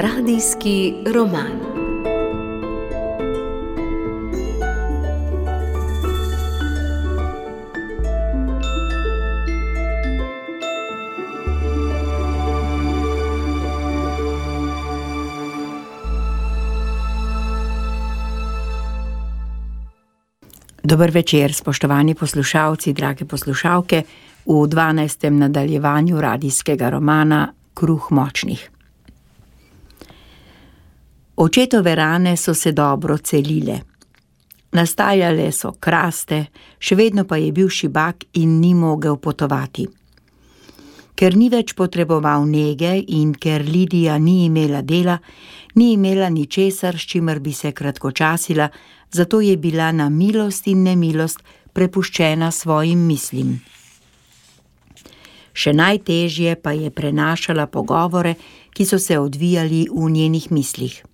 Radijski roman. Dober večer, spoštovani poslušalci, drage poslušalke, v 12. nadaljevanju radijskega romana Kruh močnih. Očetove rane so se dobro celile. Nastajale so kraste, še vedno pa je bil šibak in ni mogel potovati. Ker ni več potreboval nege in ker Lidija ni imela dela, ni imela ničesar, s čimer bi se kratkočasila, zato je bila na milost in nemilost prepuščena svojim mislim. Še najtežje pa je prenašala pogovore, ki so se odvijali v njenih mislih.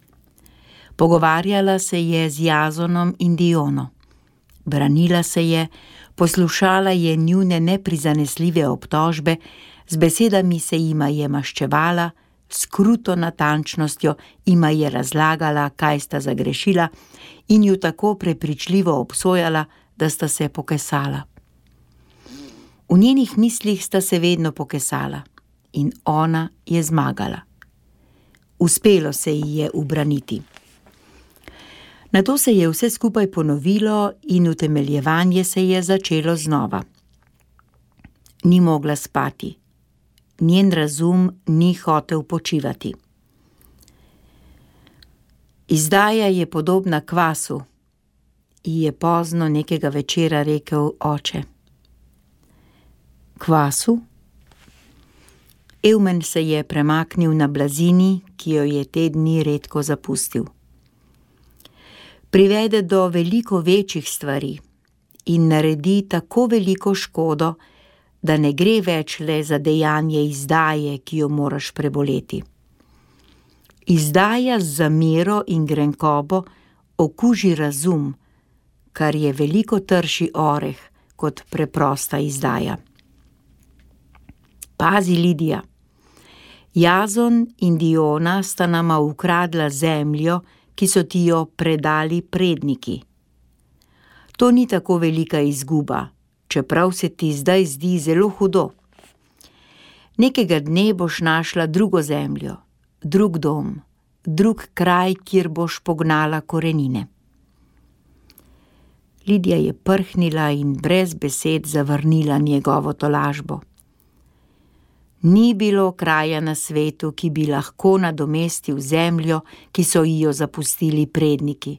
Pogovarjala se je z Jazonom in Diono. Branila se je, poslušala je njune neprizanesljive obtožbe, z besedami se jima je maščevala, s kruto natančnostjo jima je razlagala, kaj sta zagrešila, in ju tako prepričljivo obsojala, da sta se pokesala. V njenih mislih sta se vedno pokesala in ona je zmagala. Uspelo se ji je ubraniti. Nato se je vse skupaj ponovilo in utemeljevanje se je začelo znova. Ni mogla spati. Njen razum ni hotel počivati. Izdaja je podobna kvasu, ji je pozno nekega večera rekel oče. Kvasu? Evmen se je premaknil na blazini, ki jo je te dni redko zapustil. Privede do veliko večjih stvari in naredi tako veliko škodo, da ne gre več le za dejanje izdaje, ki jo moraš preboleti. Izdaja z zamero in grenkobo okuži razum, kar je veliko trši oreh kot preprosta izdaja. Pazi, Lidija, Jazon in Diona sta nama ukradla zemljo, ki so ti jo predali predniki. To ni tako velika izguba, čeprav se ti zdaj zdi zelo hudo. Nekega dne boš našla drugo zemljo, drug dom, drug kraj, kjer boš pognala korenine. Lidija je prhnila in brez besed zavrnila njegovo tolažbo. Ni bilo kraja na svetu, ki bi lahko nadomestil zemljo, ki so ji jo zapustili predniki.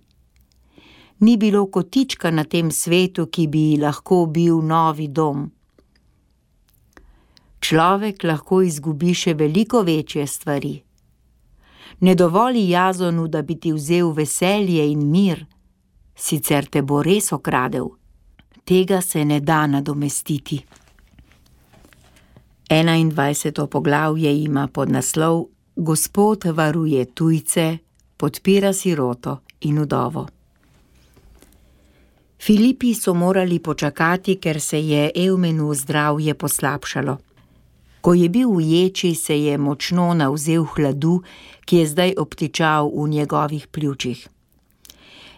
Ni bilo kotička na tem svetu, ki bi ji lahko bil novi dom. Človek lahko izgubi še veliko večje stvari. Ne dovoli Jazonu, da bi ti vzel veselje in mir, sicer te bo res okradel. Tega se ne da nadomestiti. 21. poglavje ima podnaslov Gospod varuje tujce, podpira siroto in vdovo. Filipi so morali počakati, ker se je Evmenu zdravje poslabšalo. Ko je bil v ječi, se je močno navzel hladu, ki je zdaj obtičal v njegovih pljučih.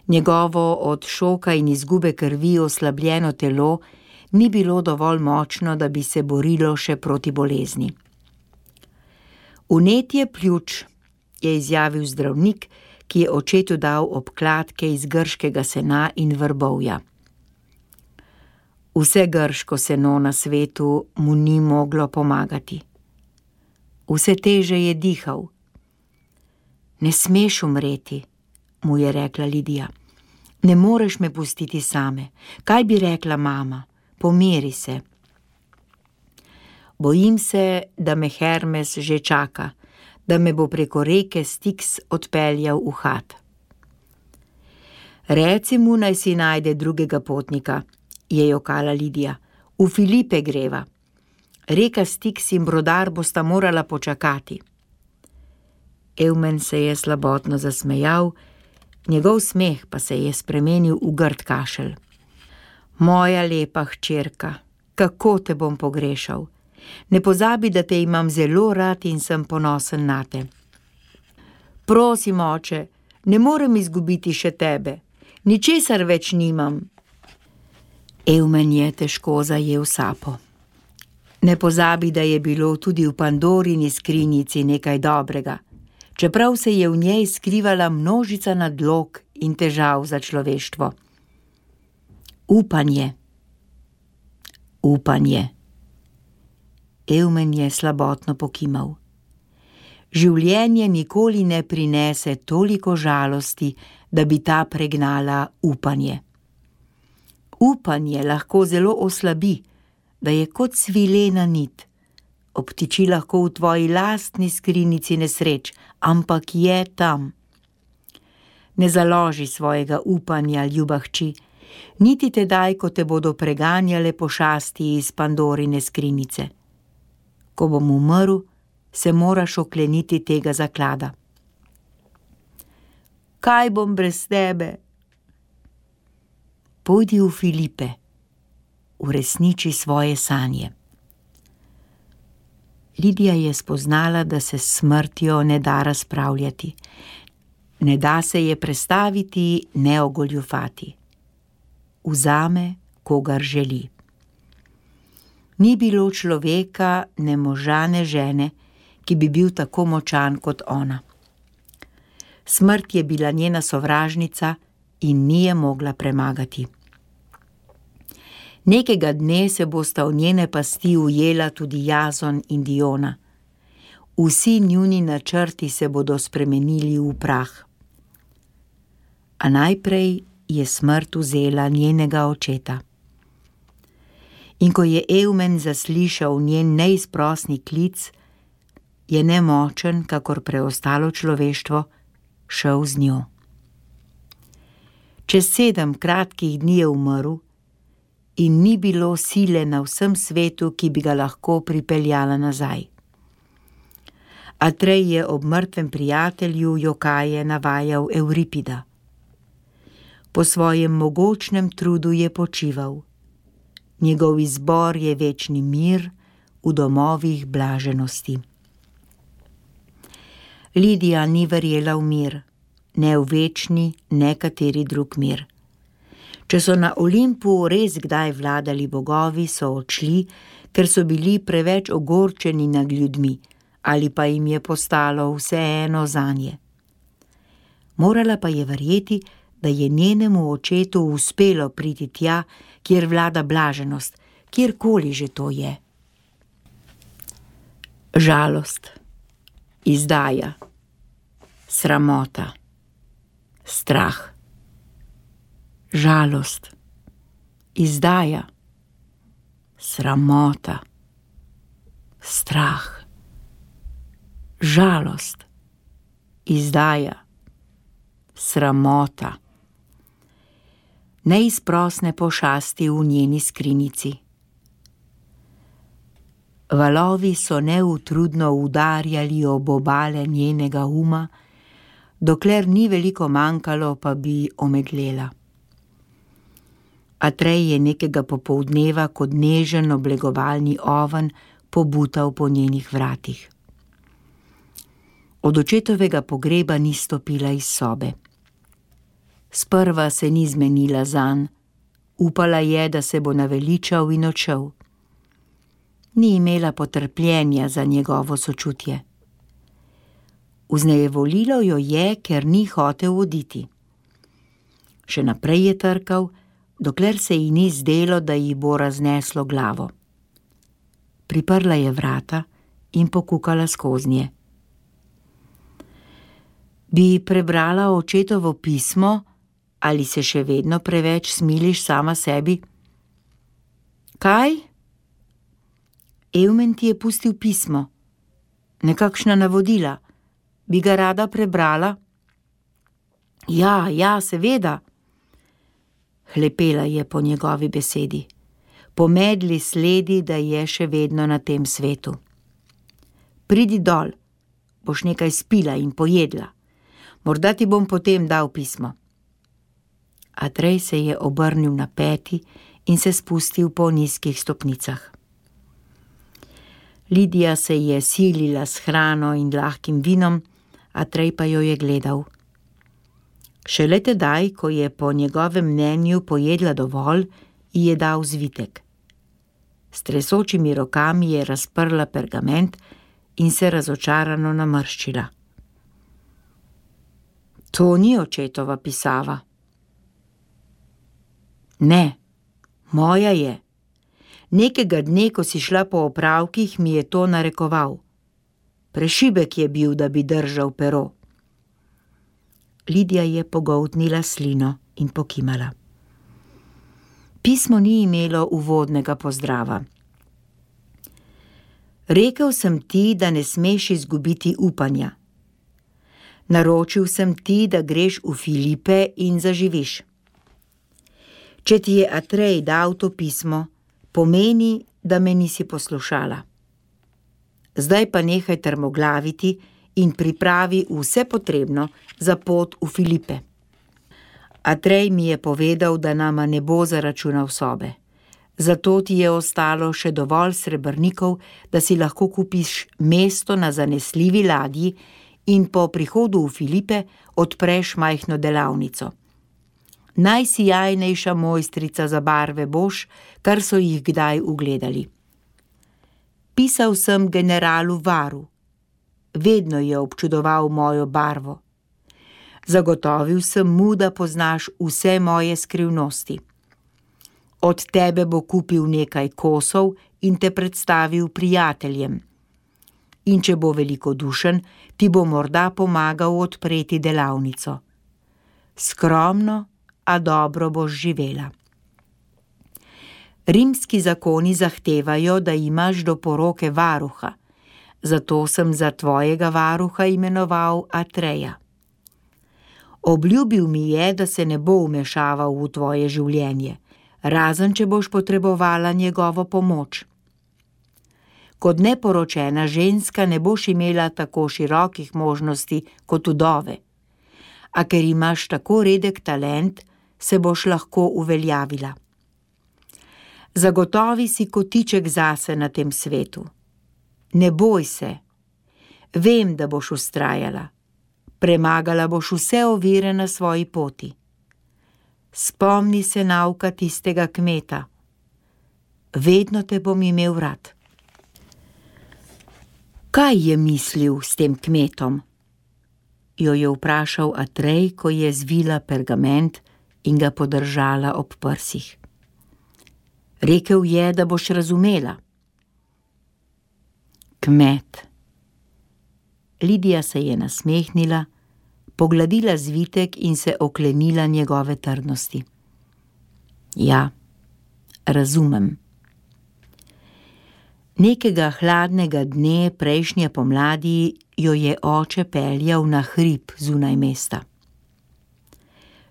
Njegovo od šoka in izgube krvi oslabljeno telo ni bilo dovolj močno, da bi se borilo še proti bolezni. Vnetje pljuč, je izjavil zdravnik, ki je očetu dal obkladke iz grškega sena in vrbovja. Vse grško seno na svetu mu ni moglo pomagati. Vse teže je dihal. Ne smeš umreti, mu je rekla Lidija. Ne moreš me pustiti same. Kaj bi rekla mama? Pomiri se. Bojim se, da me Hermes že čaka, da me bo preko reke Styx odpeljal v Had. Reci mu, naj si najde drugega potnika, je jokala Lidija. V Filipe greva. Reka Styx in brodar bosta morala počakati. Evmen se je slabotno zasmejal, njegov smeh pa se je spremenil v grd kašelj. Moja lepa hčerka, kako te bom pogrešal. Ne pozabi, da te imam zelo rad in sem ponosen nate. Prosim, oče, ne morem izgubiti še tebe. Ničesar več nimam. Eumen je težko zajel sapo. Ne pozabi, da je bilo tudi v Pandorini skrinjici nekaj dobrega, čeprav se je v njej skrivala množica nadlog in težav za človeštvo. Upanje. Upanje. Eumen je slabotno pokimal. Življenje nikoli ne prinese toliko žalosti, da bi ta pregnala upanje. Upanje lahko zelo oslabi, da je kot svilena nit. Obtiči lahko v tvoji lastni skrinjici nesreč, ampak je tam. Ne založi svojega upanja, ljuba hči, niti tedaj, ko te bodo preganjale pošasti iz Pandorine skrinjice. Ko bom umrl, se moraš okleniti tega zaklada. Kaj bom brez tebe? Pojdi v Filipe, uresniči svoje sanje. Lidija je spoznala, da se s smrtjo ne da razpravljati. Ne da se je prestaviti, ne ogoljufati. Vzame, kogar želi. Ni bilo človeka, ne moža, ne žene, ki bi bil tako močan kot ona. Smrt je bila njena sovražnica in ni je mogla premagati. Nekega dne se bosta v njene pasti ujela tudi Jazon in Diona. Vsi njuni načrti se bodo spremenili v prah. A najprej je smrt vzela njenega očeta. In ko je Eumen zaslišal njen neizprosni klic, je nemočen, kakor preostalo človeštvo, šel z njo. Čez 7 kratkih dni je umrl in ni bilo sile na vsem svetu, ki bi ga lahko pripeljala nazaj. Atrej je ob mrtvem prijatelju jokaje navajal Euripida. Po svojem mogočnem trudu je počival. Njegov izbor je večni mir v domovih blaženosti. Lidija ni verjela v mir, ne v večni, ne kateri drug mir. Če so na Olimpu res kdaj vladali bogovi, so odšli, ker so bili preveč ogorčeni nad ljudmi, ali pa jim je postalo vseeno zanje. Morala pa je verjeti, da je njenemu očetu uspelo priti tja, kjer vlada blaženost, kjerkoli že to je. Žalost, izdaja, sramota, strah. Žalost, izdaja, sramota, strah. Žalost, izdaja, sramota. Neizprosne pošasti v njeni skrinjici. Valovi so neutrudno udarjali ob obale njenega uma, dokler ni veliko manjkalo, pa bi omedlela. Atrej je nekega popoldneva kot nežen oblegovalni oven pobutal po njenih vratih. Od očetovega pogreba ni stopila iz sobe. Sprva se ni zmenila zanj, upala je, da se bo naveličal in odšel. Ni imela potrpljenja za njegovo sočutje. Vznejevolilo jo je, ker ni hotel oditi. Še naprej je trkal, dokler se ji ni zdelo, da ji bo razneslo glavo. Priprla je vrata in pokukala skoznje. Bi prebrala očetovo pismo, ali se še vedno preveč smiliš sama sebi? Kaj? Eumen ti je pustil pismo. Nekakšna navodila. Bi ga rada prebrala? Ja, seveda. Hlepela je po njegovi besedi. Po medli sledi, da je še vedno na tem svetu. Pridi dol, boš nekaj spila in pojedla. Morda ti bom potem dal pismo. Atrej se je obrnil na peti in se spustil po nizkih stopnicah. Lidija se je silila s hrano in lahkim vinom, Atrej pa jo je gledal. Šele tedaj, ko je po njegovem mnenju pojedla dovolj, ji je dal zvitek. S tresočimi rokami je razprla pergament in se razočarano namrščila. To ni očetova pisava. Ne, moja je. Nekega dne, ko si šla po opravkih, mi je to narekoval. Prešibek je bil, da bi držal pero. Lidija je pogoltnila slino in pokimala. Pismo ni imelo uvodnega pozdrava. Rekel sem ti, da ne smeš izgubiti upanja. Naročil sem ti, da greš v Filipe in zaživiš. Če ti je Atrej dal to pismo, pomeni, da me nisi poslušala. Zdaj pa nehaj trmoglaviti in pripravi vse potrebno za pot v Filipe. Atrej mi je povedal, da nama ne bo zaračunal sobe. Zato ti je ostalo še dovolj srebrnikov, da si lahko kupiš mesto na zanesljivi ladji in po prihodu v Filipe odpreš majhno delavnico. Najsijajnejša mojstrica za barve boš, kar so jih kdaj ugledali. Pisal sem generalu Varu. Vedno je občudoval mojo barvo. Zagotovil sem mu, da poznaš vse moje skrivnosti. Od tebe bo kupil nekaj kosov in te predstavil prijateljem. In če bo velikodušen, ti bo morda pomagal odpreti delavnico. Skromno, a dobro boš živela. Rimski zakoni zahtevajo, da imaš do poroke varuha, zato sem za tvojega varuha imenoval Atreja. Obljubil mi je, da se ne bo vmešaval v tvoje življenje, razen če boš potrebovala njegovo pomoč. Kot neporočena ženska ne boš imela tako širokih možnosti kot vdove, a ker imaš tako redek talent, se boš lahko uveljavila. Zagotovi si kotiček zase na tem svetu. Ne boj se. Vem, da boš vztrajala. Premagala boš vse ovire na svoji poti. Spomni se nauka tistega kmeta. Vedno te bom imel rad. Kaj je mislil s tem kmetom? Jo je vprašal Atrej, ko je zvila pergament in ga podržala ob prsih. Rekel je, da boš razumela. Kmet. Lidija se je nasmehnila, pogladila zvitek in se oklenila njegove trdnosti. Ja, razumem. Nekega hladnega dne prejšnje pomladi jo je oče peljal na hrib zunaj mesta.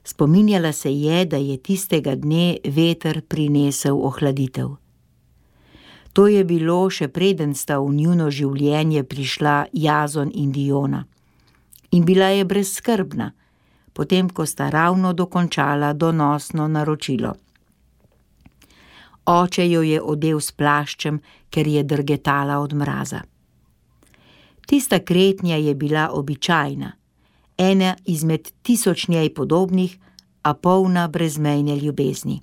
Spominjala se je, da je tistega dne veter prinesel ohladitev. To je bilo še preden sta v njuno življenje prišla Jazon in Diona. In bila je brezskrbna, potem ko sta ravno dokončala donosno naročilo. Oče jo je odel s plaščem, ker je drgetala od mraza. Tista kretnja je bila običajna, ena izmed 1000 njej podobnih, a polna brezmejne ljubezni.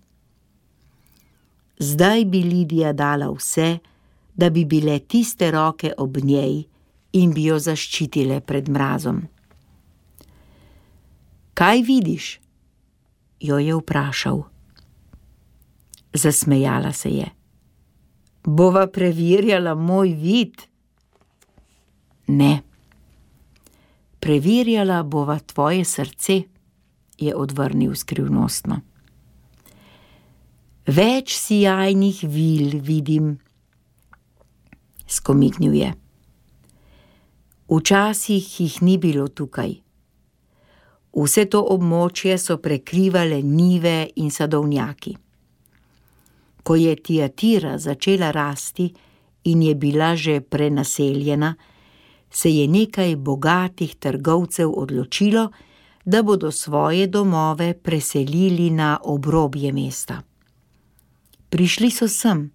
Zdaj bi Lidija dala vse, da bi bile tiste roke ob njej in bi jo zaščitile pred mrazom. Kaj vidiš? Jo je vprašal. Zasmejala se je. Bova preverjala moj vid? Ne. Preverjala bova tvoje srce, je odvrnil skrivnostno. Več sijajnih vil vidim, skomignil je. Včasih jih ni bilo tukaj. Vse to območje so prekrivale njive in sadovnjaki. Ko je Tiatira začela rasti in je bila že prenaseljena, se je nekaj bogatih trgovcev odločilo, da bodo svoje domove preselili na obrobje mesta. Prišli so sem,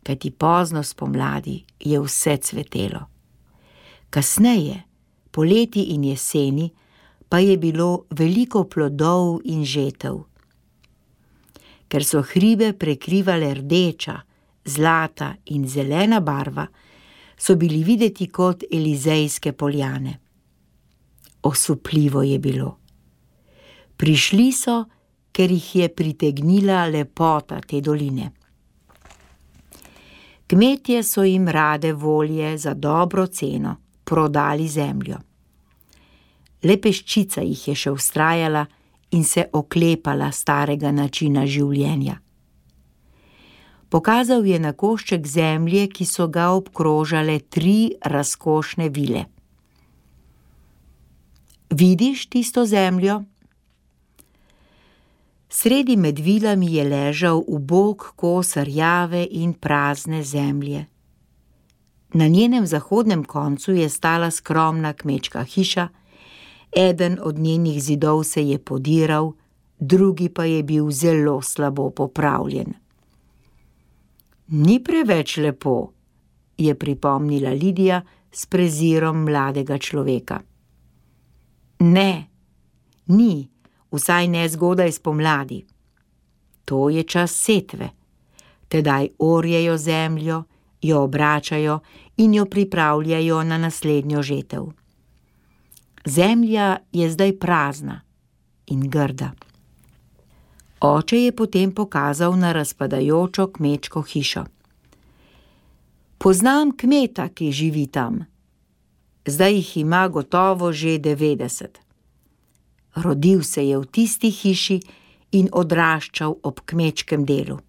kajti pozno spomladi je vse cvetelo. Kasneje poleti in jeseni pa je bilo veliko plodov in žetev. Ker so hribe prekrivale rdeča, zlata in zelena barva, so bili videti kot Elizejske poljane. Osupljivo je bilo. Prišli so, ker jih je pritegnila lepota te doline. Kmetje so jim rade volje za dobro ceno prodali zemljo. Le peščica jih je še vztrajala in se oklepala starega načina življenja. Pokazal je na košček zemlje, ki so ga obkrožale 3 razkošne vile. Vidiš tisto zemljo? Sredi med vilami je ležal ubog kos rjave in prazne zemlje. Na njenem zahodnem koncu je stala skromna kmečka hiša, eden od njenih zidov se je podiral, drugi pa je bil zelo slabo popravljen. Ni preveč lepo, je pripomnila Lidija s prezirom mladega človeka. Ne, ni, vsaj ne zgodaj spomladi. To je čas setve. Tedaj orjejo zemljo, jo obračajo in jo pripravljajo na naslednjo žetev. Zemlja je zdaj prazna in grda. Oče je potem pokazal na razpadajočo kmečko hišo. Poznam kmeta, ki živi tam. Zdaj jih ima gotovo že 90. Rodil se je v tisti hiši in odraščal ob kmečkem delu.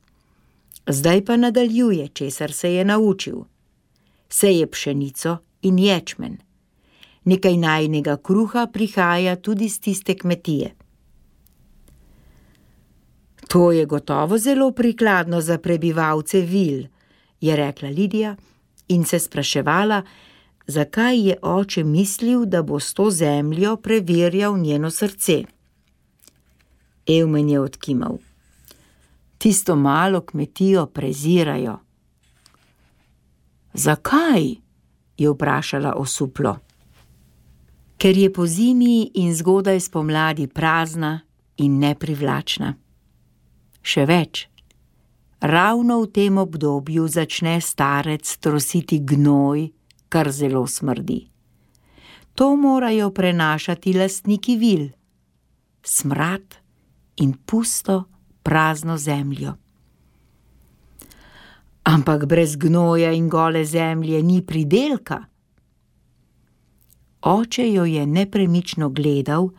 Zdaj pa nadaljuje, česar se je naučil. Seje pšenico in ječmen. Nekaj najinega kruha prihaja tudi z tiste kmetije. To je gotovo zelo prikladno za prebivalce vil, je rekla Lidija in se spraševala, zakaj je oče mislil, da bo s to zemljo preverjal njeno srce. Evmen je odkimal. Tisto malo kmetijo prezirajo. Zakaj? Je vprašala osuplo. Ker je po zimi in zgodaj spomladi prazna in neprivlačna. Še več, ravno v tem obdobju začne starec trositi gnoj, kar zelo smrdi. To morajo prenašati lastniki vil. Smrad in pusto, prazno zemljo. Ampak brez gnoja in gole zemlje ni pridelka. Oče jo je nepremično gledal,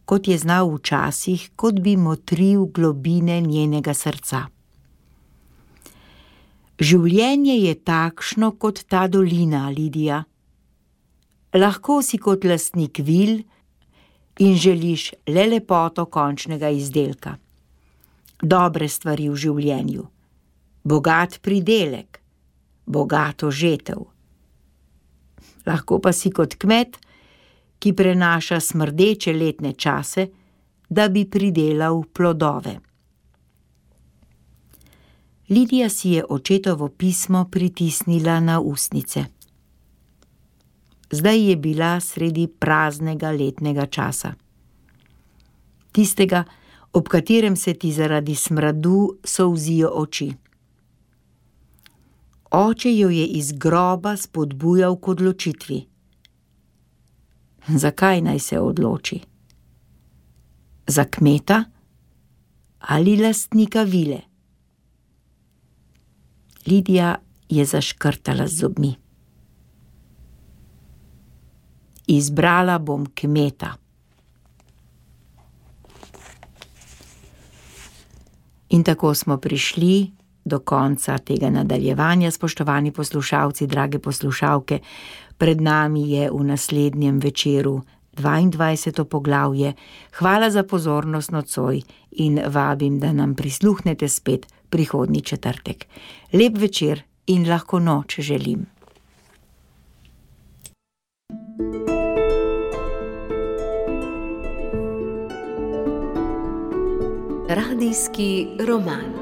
kot je znal včasih, kot bi motril globine njenega srca. Življenje je takšno kot ta dolina, Lidija. Lahko si kot lastnik vil in želiš le lepoto končnega izdelka. Dobre stvari v življenju, bogat pridelek, bogato žetev. Lahko pa si kot kmet, ki prenaša smrdeče letne čase, da bi pridelal plodove. Lidija si je očetovo pismo pritisnila na ustnice. Zdaj je bila sredi praznega letnega časa. Tistega, ob katerem se ti zaradi smradu solzijo oči. Oče jo je iz groba spodbujal k odločitvi. Zakaj naj se odloči? Za kmeta ali lastnika vile? Lidija je zaškrtala z zobmi. Izbrala bom kmeta. In tako smo prišli do konca tega nadaljevanja, spoštovani poslušalci, drage poslušalke. Pred nami je v naslednjem večeru 22. poglavje. Hvala za pozornost nocoj in vabim, da nam prisluhnete spet prihodnji četrtek. Lep večer in lahko noč želim. Radijski roman.